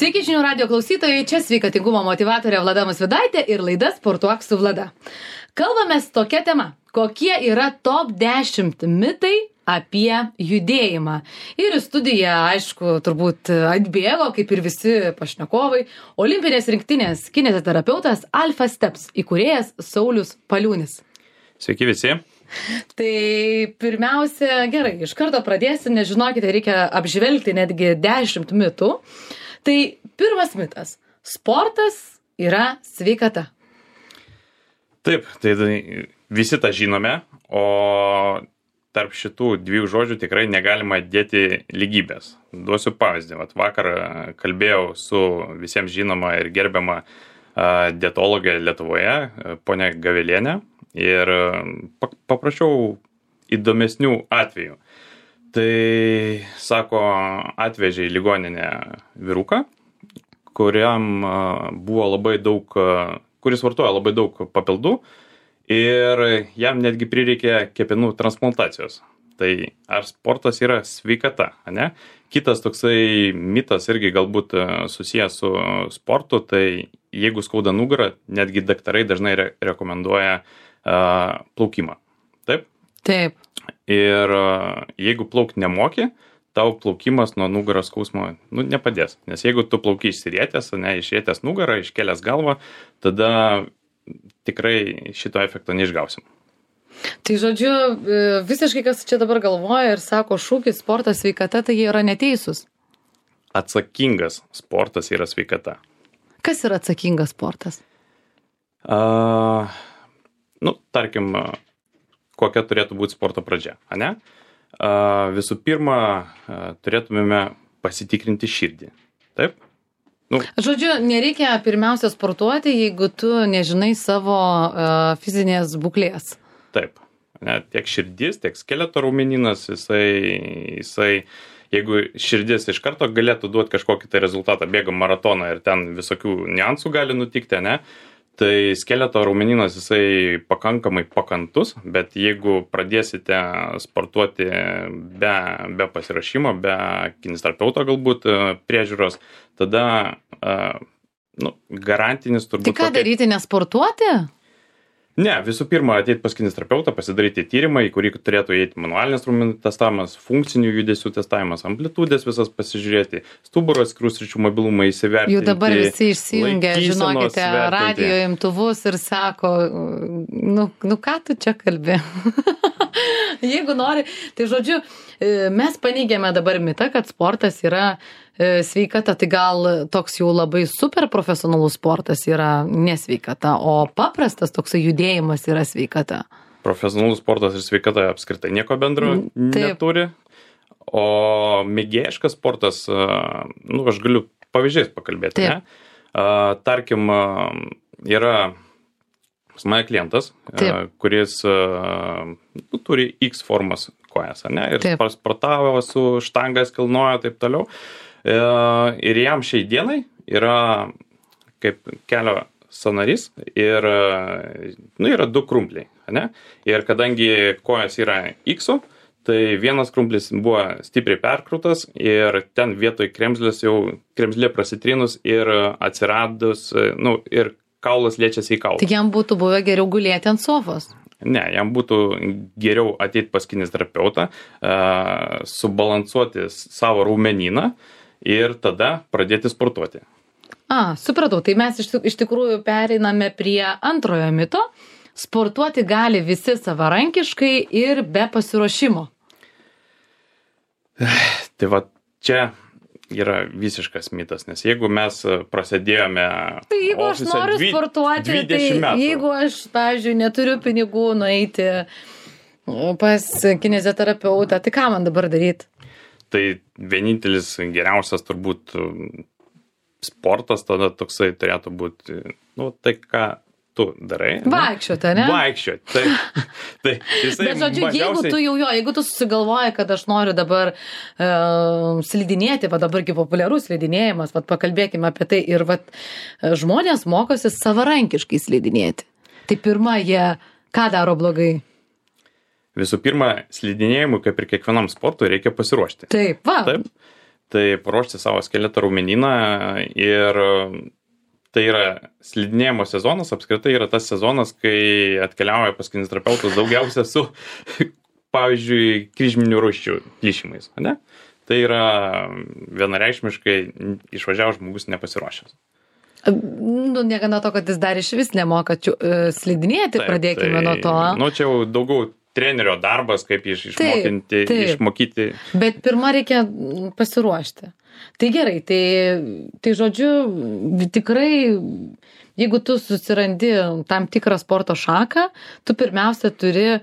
Sveiki žinių radio klausytojai, čia sveikatingumo motyvatorė Vlada Musvydaitė ir laida Sportuok su Vlada. Kalbamės tokia tema, kokie yra top 10 mitai apie judėjimą. Ir į studiją, aišku, turbūt atbėgo, kaip ir visi pašnekovai, olimpinės rinktinės kineziterapeutas Alpha Steps įkūrėjas Saulius Paliūnis. Sveiki visi. Tai pirmiausia, gerai, iš karto pradėsiu, nes žinokite, reikia apžvelgti netgi 10 mitų. Tai pirmas mitas. Sportas yra sveikata. Taip, tai visi tą žinome, o tarp šitų dviejų žodžių tikrai negalima dėti lygybės. Duosiu pavyzdį. Vakar kalbėjau su visiems žinoma ir gerbiama dietologė Lietuvoje, ponia Gavelienė, ir paprašiau įdomesnių atvejų. Tai, sako, atvežė į ligoninę vyruką, kuriam buvo labai daug, kuris vartoja labai daug papildų ir jam netgi prireikė kepenų transplantacijos. Tai ar sportas yra sveikata, ne? Kitas toksai mitas irgi galbūt susijęs su sportu, tai jeigu skauda nugarą, netgi daktarai dažnai rekomenduoja plaukimą. Taip? Taip. Ir jeigu plaukt nemoki, tau plaukimas nuo nugaros skausmo nepadės. Nes jeigu tu plauki išsirietęs, išrietęs nugarą, iškėlęs galvą, tada tikrai šito efekto neišgausim. Tai žodžiu, visiškai kas čia dabar galvoja ir sako šūkis sportas sveikata, tai jie yra neteisūs. Atsakingas sportas yra sveikata. Kas yra atsakingas sportas? Tarkim, kokia turėtų būti sporto pradžia, ane? Visų pirma, turėtumėme pasitikrinti širdį. Taip? Žodžiu, nereikia pirmiausia sportuoti, jeigu tu nežinai savo fizinės būklės. Taip. Tiek širdis, tiek skeleto raumeninas, jisai, jeigu širdis iš karto galėtų duoti kažkokį tai rezultatą, bėga maratoną ir ten visokių niuansų gali nutikti, ne? Tai skeleto raumeninas jisai pakankamai pakantus, bet jeigu pradėsite sportuoti be pasiruošimo, be kineziterapeuto galbūt priežiūros, tada garantinis turbūt... Tai ką daryti, nesportuoti? Ne, visų pirma, ateiti pas kineziterapeutą, pasidaryti tyrimą, į kurį turėtų įeiti manualinis raumenų testavimas, funkcinių judesių testavimas, amplitudės visas pasižiūrėti, stuburo atskirų sričių mobilumą įsivertinti. Jau dabar visi išsijungia, žinokite, radijo imtuvus ir sako, ką tu čia kalbi? Jeigu nori, tai žodžiu, mes paneigėme dabar mitą, kad sportas yra sveikata, tai gal toks jau labai super profesionalus sportas yra nesveikata, o paprastas toksai judėjimas yra sveikata. Profesionalus sportas ir sveikata apskritai nieko bendro neturi, o mėgėjiškas sportas, aš galiu pavyzdžiais pakalbėti, ne? Tarkim, yra pas mane klientas, kuris turi X formos kojas, ne? Ir sportavo su štangas, kilnojo, taip toliau. Ir jam šiai dienai yra kaip kelio sąnarys ir yra 2 krumpliai, ne? Ir kadangi kojas yra X-o, tai vienas krumplis buvo stipriai perkrautas ir ten vietoj kremzlė prasitrinus ir atsiradus, ir kaulas liečiasi į kaulą. Tai jam būtų buvę geriau gulėti ant sofos? Ne, jam būtų geriau ateiti pas kineziterapeutą, subalansuoti savo raumenyną ir tada pradėti sportuoti. Supratau. Tai mes iš tikrųjų pereiname prie antrojo mito. Sportuoti gali visi savarankiškai ir be pasiruošimo. Tai čia yra visiškas mitas, nes jeigu mes prasidėjome... Tai jeigu aš noriu sportuoti, tai jeigu aš, pavyzdžiui, neturiu pinigų nueiti pas kineziterapeutą, tai ką man dabar daryti? Tai vienintelis geriausias turbūt sportas tada toksai turėtų būti, tai ką tu darai. Vaikščioti, ne? Vaikščioti. Tai bet žodžiu, jeigu tu susigalvoji, kad aš noriu dabar slidinėti, dabargi populiarus slidinėjimas, pakalbėkime apie tai, ir žmonės mokosi savarankiškai slidinėti. Tai pirma, jie ką daro blogai? Visų pirma, slidinėjimui, kaip ir kiekvienam sportui, reikia pasiruošti. Taip, va. Taip. tai paruošti savo skeleto raumenyną ir tai yra slidinėjimo sezonas, apskritai yra tas sezonas, kai atkeliauja pas kineziterapeutus daugiausia su, pavyzdžiui, kryžminių raiščių plyšimais, ne? Tai yra vienareikšmiškai išvažiavęs žmogus nepasiruošęs. Nu, negana to, kad jis dar iš vis nemoka slidinėti, taip, pradėkime nuo to. Nu, čia jau daugiau trenerio darbas, kaip išmokyti. Bet pirmą reikia pasiruošti. Tai gerai, tai žodžiu, tikrai, jeigu tu susirandi tam tikrą sporto šaką, tu pirmiausia turi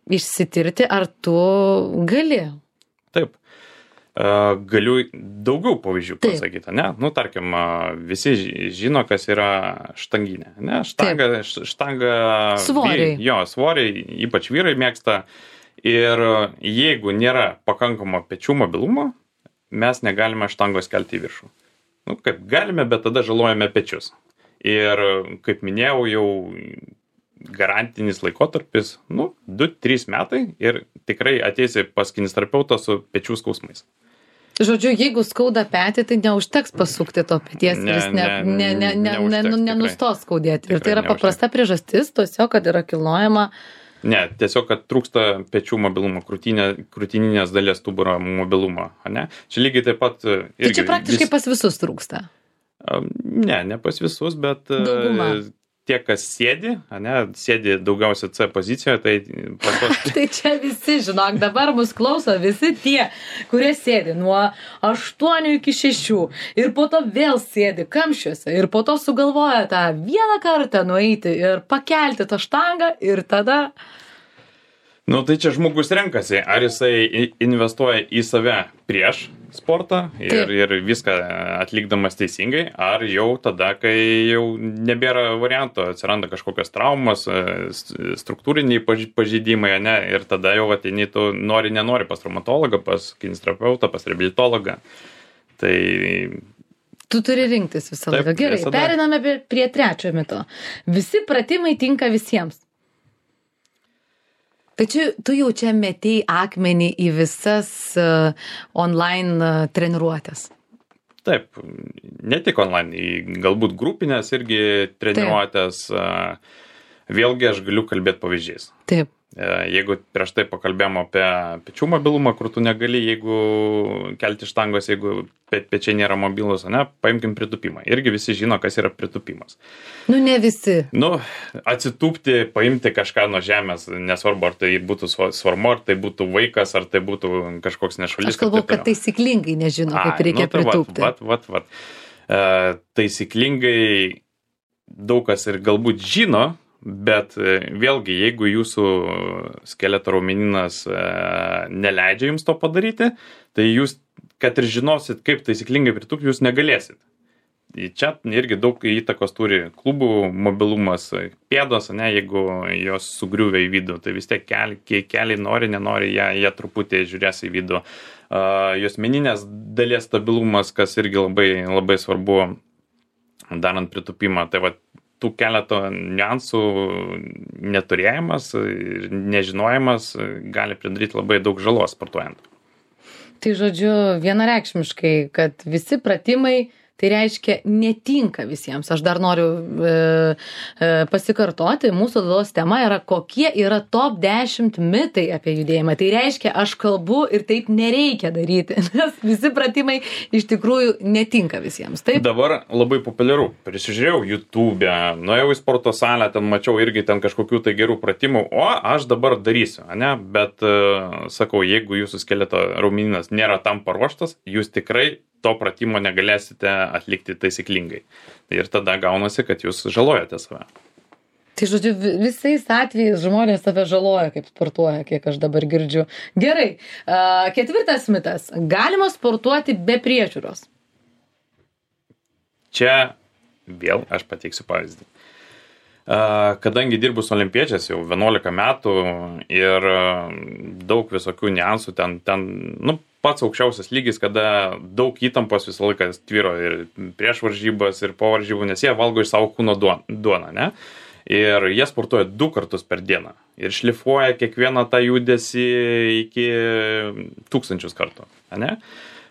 išsitirti, ar tu gali. Taip. Galiu daugiau pavyzdžių pasakyti, ne? Nu, tarkim, visi žino, kas yra štanginė, ne? Štanga svoriai. Svoriai, ypač vyrai mėgsta. Ir jeigu nėra pakankamo pečių mobilumo, mes negalime štangos kelti į viršų. Nu, kaip galime, bet tada žalojame pečius. Ir, kaip minėjau, jau garantinis laikotarpis, 2-3 metai ir tikrai ateisi pas kineziterapeutą su pečių skausmais. Žodžiu, jeigu skauda petį, tai neužteks pasukti to peties ir jis nenustos skaudėti. Ir tai yra paprasta priežastis, tiesiog, kad yra kilnojama. Ne, tiesiog, kad trūksta pečių mobilumo, krūtininės dalies stuburo mobilumo. Ne? Čia lygiai taip pat... Tai čia praktiškai pas visus trūksta? Ne pas visus, bet... Dauguma. Tie, kas sėdi daugiausia C pozicijoje, tai... Tai čia visi, žinok, dabar mus klauso visi tie, kurie sėdi nuo 8 iki 6 ir po to vėl sėdi kamščiuose ir po to sugalvoja tą vieną kartą nueiti ir pakelti tą štangą ir tada... Nu, tai čia žmogus renkasi, ar jisai investuoja į save prieš sportą ir viską atlikdamas teisingai, ar jau tada, kai jau nebėra varianto, atsiranda kažkokios traumas, struktūriniai pažeidimai, ne, ir tada jau ateini, tu nenori pas traumatologą, pas kineziterapeutą, pas reabilitologą. Tai... Tu turi rinktis visą laiką. Gerai, periname prie trečiojo mito. Visi pratimai tinka visiems. Tai tu jau čia metei akmenį į visas online treniruotės. Taip, ne tik online, į galbūt grupinės irgi treniruotės. Vėlgi aš galiu kalbėti pavyzdžiais. Taip. Jeigu prieš tai pakalbėjom apie pečių mobilumą, kur tu negali, jeigu kelti štangos, jeigu pečiai nėra mobilus, ne, paimkim pritūpimą. Irgi visi žino, kas yra pritūpimas. Nu, ne visi. Nu, atsitūpti, paimti kažką nuo žemės, nesvarbu, ar tai būtų svarmu, ar tai būtų vaikas, ar tai būtų kažkoks nešulis. Aš kalbu, kad taisyklingai nežino, kaip reikia pritūpti. Vat. Taisyklingai daug kas ir galbūt žino, bet vėlgi, jeigu jūsų skeleto raumenynas neleidžia jums to padaryti, tai jūs, kad ir žinosit, kaip taisyklingai pritūpti, jūs negalėsit. Čia irgi daug įtakos turi klubų mobilumas, pėdos, ne, jeigu jos sugriuvia į vidų, tai vis tiek keliai nori, nenori, jie truputį žiūrės į vidų. Juosmeninės dalies stabilumas, kas irgi labai, labai svarbu darant pritūpimą, tai va, tų keleto niuansų neturėjimas ir nežinojimas gali pridaryti labai daug žalos sportuojant. Tai žodžiu, vienareikšmiškai, kad visi pratimai, tai reiškia netinka visiems. Aš dar noriu pasikartoti, mūsų laidos tema yra, kokie yra top 10 mitai apie judėjimą. Tai reiškia, aš kalbu ir taip nereikia daryti, nes visi pratimai iš tikrųjų netinka visiems. Taip? Dabar labai populiaru. Prisižiūrėjau YouTube'e, nuėjau į sporto salę, ten mačiau irgi ten kažkokių tai gerų pratimų, o aš dabar darysiu, ne? Bet sakau, jeigu jūsų skeleto raumenynas nėra tam paruoštas, jūs tikrai to pratimo negalėsite atlikti taisyklingai. Ir tada gaunasi, kad jūs žalojate save. Tai žodžiu, visais atvejais žmonės save žaloja, kaip sportuoja, kiek aš dabar girdžiu. Gerai, 4 mitas. Galima sportuoti be priežiūros? Čia vėl aš pateiksiu pavyzdį. Kadangi dirbu su olimpiečiais jau 11 metų ir daug visokių niuansų, ten pats aukščiausias lygis, kada daug įtampos visą laiką tvyro ir prieš varžybas, ir po varžybų, nes jie valgo iš savo kūno duoną, ne? Ir jie sportuoja 2 kartus per dieną ir šlifuoja kiekvieną tą judesį iki 1000 kartų, ne?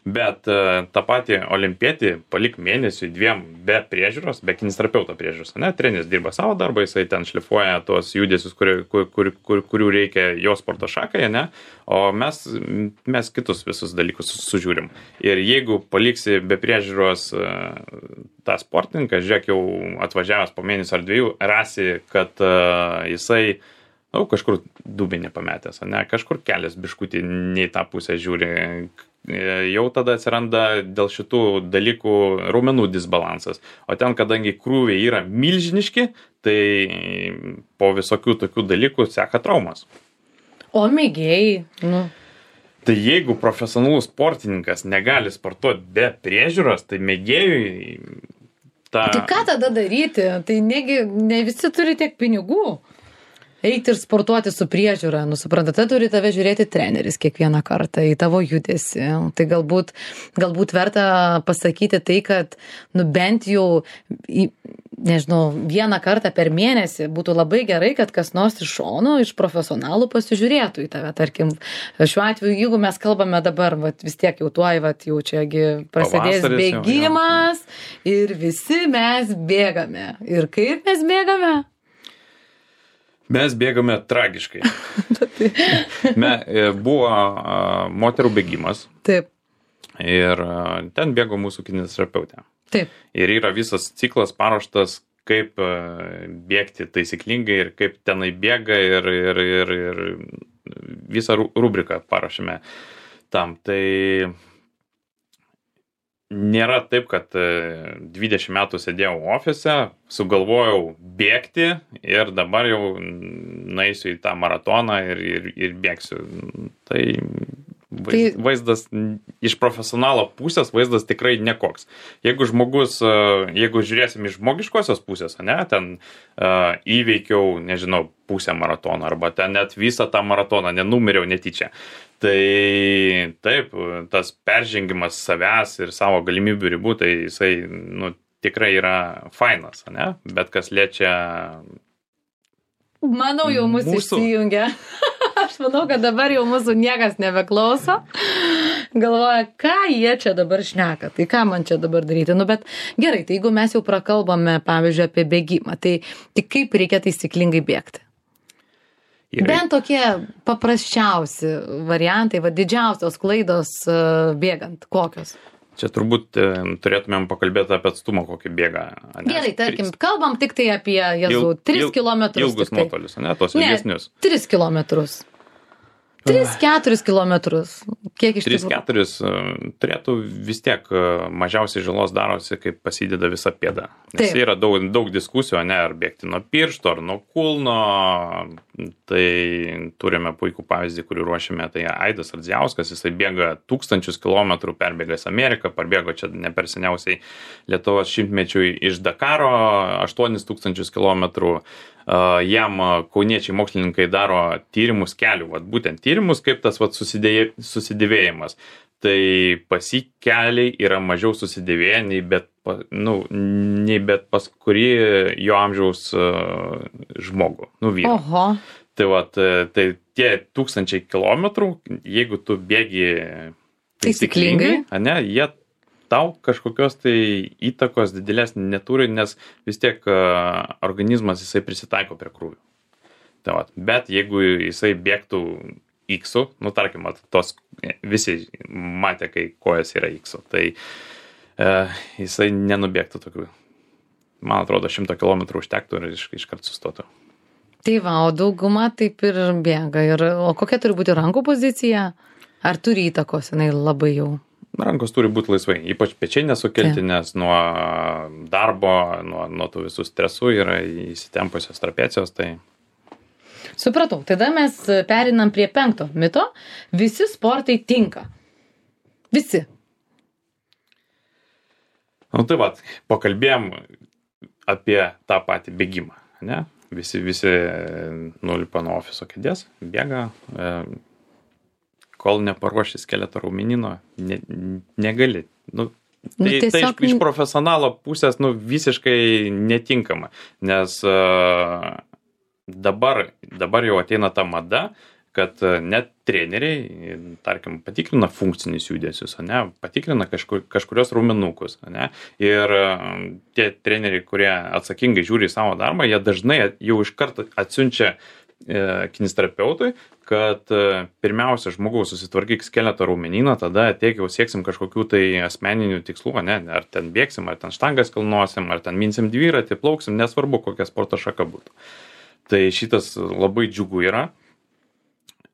Bet tą patį olimpietį palik mėnesiui 2 be priežiūros, be kineziterapeuto priežiūros, ne, treneris dirba savo darbą, jisai ten šlifuoja tuos judesius, kurių reikia jo sporto šakai, ne, o mes kitus visus dalykus sužiūrim. Ir jeigu paliksi be priežiūros tą sportininką, žiūrėk, jau atvažiavęs po mėnesį ar 2, rasi, kad jisai kažkur dubinį pametęs, ne, kažkur kelias biškutį nei tą pusę žiūri, jau tada atsiranda dėl šitų dalykų raumenų disbalansas. O ten, kadangi krūviai yra milžiniški, tai po visokių tokių dalykų seka traumas. O mėgėjai, Tai jeigu profesionalus sportininkas negali sportuoti be priežiūros, tai mėgėjui Tai ką tada daryti? Tai ne visi turi tiek pinigų. Eiti ir sportuoti su priežiūra, suprantate, turi tave žiūrėti treneris kiekvieną kartą į tavo judesį. Tai galbūt verta pasakyti tai, kad bent jau, nežinau, 1 kartą per mėnesį būtų labai gerai, kad kas nors iš šono, iš profesionalų pasižiūrėtų į tave. Tarkim, šiuo atveju, jeigu mes kalbame dabar, vis tiek jau tuoj, jau čiagi prasidės bėgimas ir visi mes bėgame. Ir kaip mes bėgame? Mes bėgame tragiškai. Buvo moterų bėgimas. Taip. Ir ten bėgo mūsų kineziterapeutė. Taip. Ir yra visas ciklas paruoštas, kaip bėgti taisyklingai ir kaip tenai bėga ir visą rubriką paruošėme tam. Tai nėra taip, kad 20 metų sėdėjau ofise, sugalvojau bėgti ir dabar jau naisiu į tą maratoną ir bėgsiu. Tai vaizdas iš profesionalo pusės vaizdas tikrai nekoks. Jeigu žiūrėsim iš žmogiškosios pusės, ne, ten įveikiau, nežinau, pusę maratono arba ten net visą tą maratoną, nenumeriau netyčia. Tai taip, tas peržengimas savęs ir savo galimybių ribų, tai jisai tikrai yra fainas, ne? Bet kas liečia... Manau, jau mūsų išsijungia. Aš manau, kad dabar jau mūsų niekas nebeklauso. Galvoja, ką jie čia dabar šneka, tai ką man čia dabar daryti. Bet gerai, tai jeigu mes jau prakalbame, pavyzdžiui, apie bėgimą, tai kaip reikia taisyklingai bėgti? Bent tokie paprasčiausi variantai, didžiausios klaidos bėgant, kokios? Čia turbūt turėtumėm pakalbėti apie atstumą, kokį bėga. Gerai, tarkim, kalbam tik tai apie 3 kilometrus. Ilgus nuotolius, ne, tos ilgesnius. 3 kilometrus. 3-4 kilometrus. Kiek iš tikrųjų? 3-4 turėtų vis tiek mažiausiai žalos darosi, kai pasideda visa pėda. Nes yra daug diskusijų, ne, ar bėgti nuo piršto, ar nuo kulno. Tai turime puikų pavyzdį, kurį ruošime, tai Aidas Ardzijauskas, jisai bėga 1000 kilometrų, perbėgęs Ameriką, parbėgo čia ne per seniausiai Lietuvos šimtmečiui iš Dakaro 8000 kilometrų. Jam kauniečiai mokslininkai daro tyrimus kelių, būtent tyrimus, kaip tas susidėvėjimas. Tai pasikeliai yra mažiau susidėvėję nei bet pas kurį jo amžiaus žmogų, vyrą. Oho. Tai tie 1000 kilometrų, jeigu tu bėgi taisyklingai, ne, jie tau kažkokios tai įtakos didelės neturi, nes vis tiek organizmas jisai prisitaiko prie krūvių. Bet jeigu jisai bėgtų X-u, tarkim, tos visi matė, kai kojas yra X-u, tai jisai nenubėgtų tokių. Man atrodo, 100 km užtektų ir iškart sustotų. Tai o dauguma taip ir bėga. O kokia turi būti rankų pozicija? Ar turi įtakos, jinai labai jau? Rankos turi būti laisvai, ypač pečiai nesukelti, nes nuo darbo, nuo tų visų stresų yra įsitempusios trapecijos. Tai... Supratau, tada mes perinam prie 5 mito. Visi sportai tinka. Visi. Pakalbėjom apie tą patį bėgimą, ne? Visi nulipa nuo ofiso kėdės, bėga, kol neparuoši skeleto raumenino, negali. Tai iš profesionalo pusės visiškai netinkama, nes dabar jau ateina ta mada, kad net treneriai, tarkim, patikrina funkcinius judesius, ane, patikrina kažkurios raumenukus, ane, ir tie treneriai, kurie atsakingai žiūri į savo darbą, jie dažnai jau iš karto atsiunčia kineziterapeutui, kad pirmiausia žmogaus susitvarkyk skeleto raumenyną, tada tiek jau sieksim kažkokių tai asmeninių tikslų, ne, ar ten bėgsim, ar ten štangas kilnosim, ar ten minsim dviratį, plauksim, nesvarbu, kokia sporto šaka būtų. Tai šitas labai džiugu yra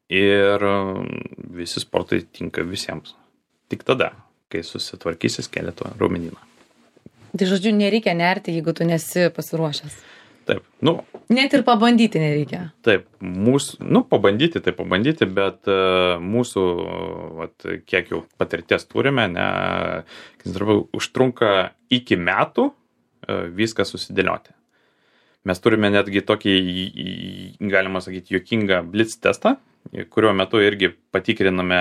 ir visi sportai tinka visiems. Tik tada, kai susitvarkysi skeleto raumenyną. Tai žodžiu, nereikia nerti, jeigu tu nesi pasiruošęs. Taip, net ir pabandyti nereikia. Taip, pabandyti, bet mūsų, kiek jau patirties turime, užtrunka iki metų viską susidėlioti. Mes turime netgi tokį, galima sakyti, juokingą blitz testą, kurio metu irgi patikriname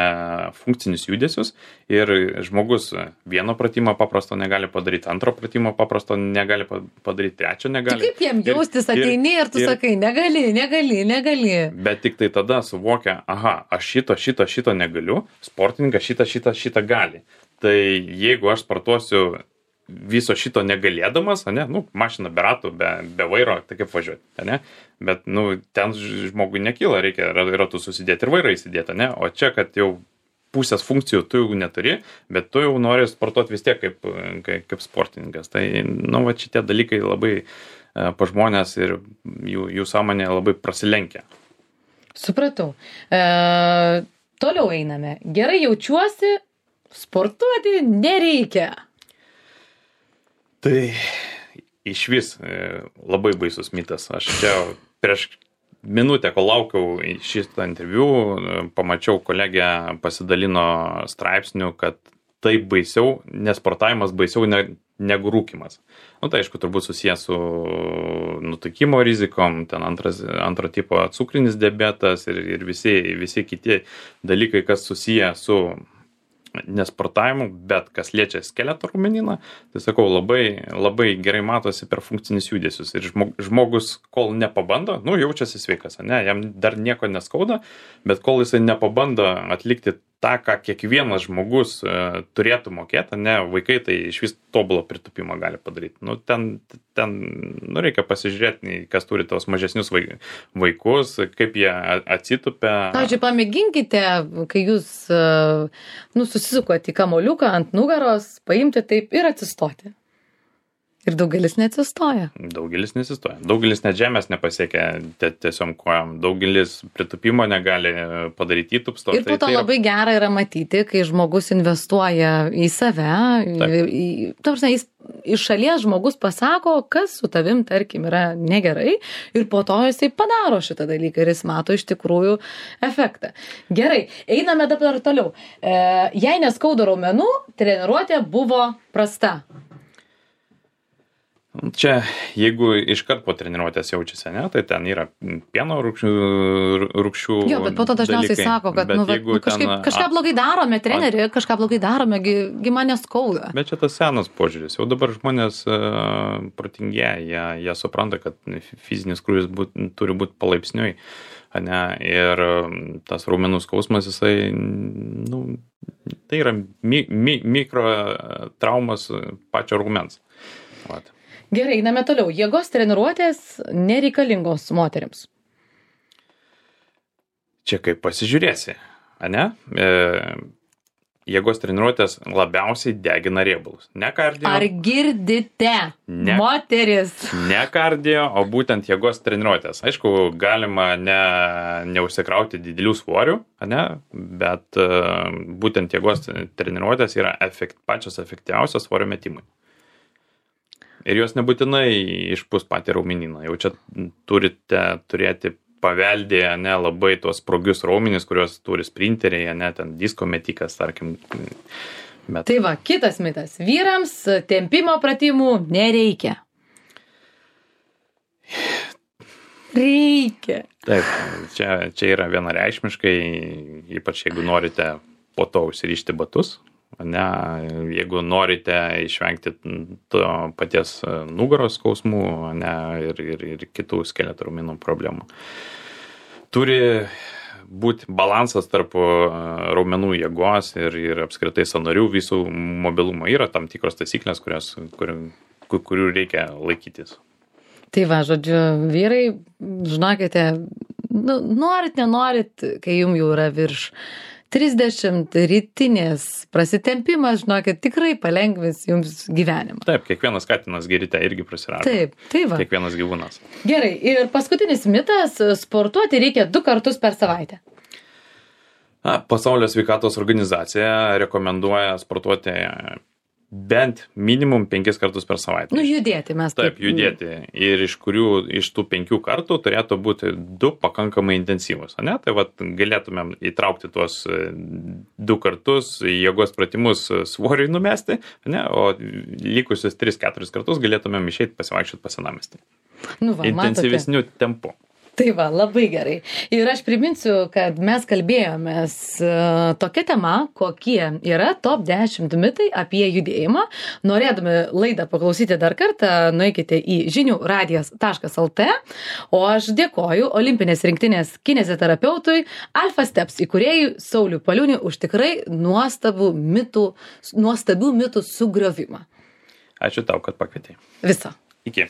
funkcinius judesius ir žmogus vieno pratimo paprasto negali padaryti, antro pratimo paprasto negali padaryti, trečio negali. Tai kaip jiem jaustis, ateini ir tu sakai, negali. Bet tik tai tada suvokia, aš šito negaliu, sportininkas šitą gali. Tai jeigu aš sportuosiu viso šito negalėdamas, mašina be ratų, be vairo, tai kaip važiuoti, bet ten žmogui nekyla, reikia ratų susidėti ir vairą įsidėti, o čia, kad jau pusės funkcijų tu jau neturi, bet tu jau nori sportuoti vis tiek kaip sportininkas. Tai, šitie dalykai labai pa žmonės ir jų sąmonė labai prasilenkia. Supratau. Toliau einame. Gerai jaučiuosi, sportuoti nereikia. Tai išvis labai baisus mitas. Aš čia prieš minutę, kol laukiau šitą interviu, pamačiau kolegę pasidalino straipsnių, kad tai baisiau, nesportavimas baisiau negu rūkymas. Tai aišku, turbūt susijęs su nutukimo rizikom, ten antro tipo cukrinis diabetas ir visi kiti dalykai, kas susiję su nesportavimu, bet kas liečia skeleto raumenyną, tai sakau, labai, labai gerai matosi per funkcinius judesius. Ir žmogus, kol nepabando, jaučiasi sveikas, jam dar nieko neskauda, bet kol jisai nepabando atlikti tą, ką kiekvienas žmogus turėtų mokėti, vaikai tai iš vis tobulo pritupimą gali padaryti. Ten reikia pasižiūrėti, kas turi tos mažesnius vaikus, kaip jie atsitupia. Pavyzdžiui, pamėginkite, kai jūs susisukot į kamoliuką ant nugaros, paimti taip ir atsistoti. Ir daugelis neatsistoja. Daugelis net žemės nepasiekia tiesiog kojom. Daugelis pritupimo negali padaryti įtupsto. Ir po to labai gera yra matyti, kai žmogus investuoja į save. Iš šalies žmogus pasako, kas su tavim, tarkim, yra negerai. Ir po to jisai padaro šitą dalyką ir jis mato iš tikrųjų efektą. Gerai, einame dabar toliau. Jei neskauda raumenų, treniruotė buvo prasta. Čia, jeigu iškart po treniruotės jaučiasi, tai ten yra pieno rūgščių. Jo, bet po to dažniausiai sako, kad kažką blogai darome, treneri, kažką blogai darome, gi man neskauda. Bet čia tas senas požiūris. Jau dabar žmonės protingėja, jie supranta, kad fizinis krūvis turi būti palaipsniui. Ir tas raumenų skausmas, jisai, tai yra mikro traumas pačio raumens. Gerai, einame toliau. Jėgos treniruotės nereikalingos moterims. Čia kaip pasižiūrėsi, jėgos treniruotės labiausiai degina riebalus. Ne kardio. Ar girdite, moteris? Ne kardio, o būtent jėgos treniruotės. Aišku, galima neužsikrauti didelių svorių, bet būtent jėgos treniruotės yra pačios efektyviausios svorio metimai. Ir jos nebūtinai išpūs patį raumenyną. Jau čia turite turėti paveldėję labai tuos sprogius raumenis, kuriuos turi sprinteriai, ten disko metikas, tarkim. Bet... Tai va, kitas mitas. Vyrams tempimo pratimų nereikia. Reikia. Taip, čia yra vienareikšmiškai, ypač jeigu norite po to užsirišti batus. Jeigu norite išvengti to paties nugaros skausmų ir kitų skeleto raumenų problemų. Turi būti balansas tarp raumenų jėgos ir apskritai sąnarių visų mobilumo. Yra tam tikros taisyklės, kurių reikia laikytis. Tai va, žodžiu, vyrai, žinokite, norit, nenorit, kai jums jau yra virš 30, rytinės prasitempimas, žinokit, tikrai palengvins jums gyvenimą. Taip, kiekvienas katinas gerite irgi prasirašo. Taip, tai va. Kiekvienas gyvūnas. Gerai, ir paskutinis mitas, sportuoti reikia 2 kartus per savaitę. Pasaulio sveikatos organizacija rekomenduoja sportuoti bent minimum 5 kartus per savaitę. Judėti mes. Taip, judėti. Ir iš tų 5 kartų turėtų būti 2 pakankamai intensyvus. Ne? Tai vat galėtumėm įtraukti tuos 2 kartus jėgos pratimus svoriui numesti, ne? O likusius 3-4 kartus galėtumėm išeiti pasivaikščioti pas senamiestį. Intensyvesniu tempu. Tai va, labai gerai. Ir aš priminsiu, kad mes kalbėjomės tokia tema, kokie yra top 10 mitai apie judėjimą. Norėdami laidą paklausyti dar kartą, nueikite į žiniųradijas.lt. O aš dėkoju olimpinės rinktinės kineziterapeutui Alpha Steps įkūrėjui Sauliui Paliūniui už tikrai nuostabių mitų sugriovimą. Ačiū tau, kad pakvietei. Viso. Iki.